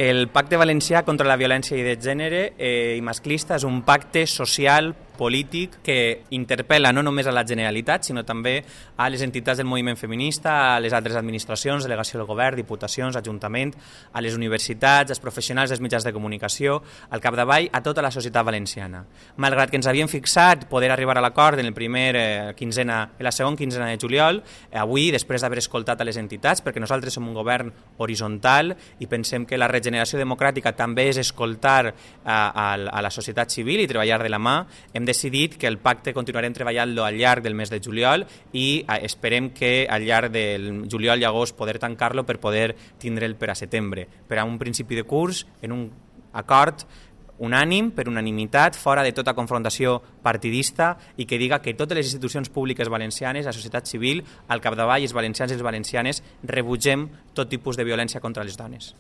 El Pacte Valencià contra la Violència de Gènere i Masclista és un pacte social, polític, que interpel·la no només a la Generalitat, sinó també a les entitats del moviment feminista, a les altres administracions, delegació del govern, diputacions, ajuntament, a les universitats, als professionals dels mitjans de comunicació, al capdavall, a tota la societat valenciana. Malgrat que ens havíem fixat poder arribar a l'acord en la segona quinzena de juliol, avui, després d'haver escoltat a les entitats, perquè nosaltres som un govern horitzontal i pensem que la regeneració democràtica també és escoltar a la societat civil i treballar de la mà, hem decidit que el pacte continuarem treballant-lo al llarg del mes de juliol i esperem que al llarg del juliol i agost poder tancar-lo per poder tindre'l per a setembre, per a un principi de curs en un acord unànim, per unanimitat, fora de tota confrontació partidista i que diga que totes les institucions públiques valencianes, la societat civil, al capdavall, els valencians i les valencianes, rebutgem tot tipus de violència contra les dones.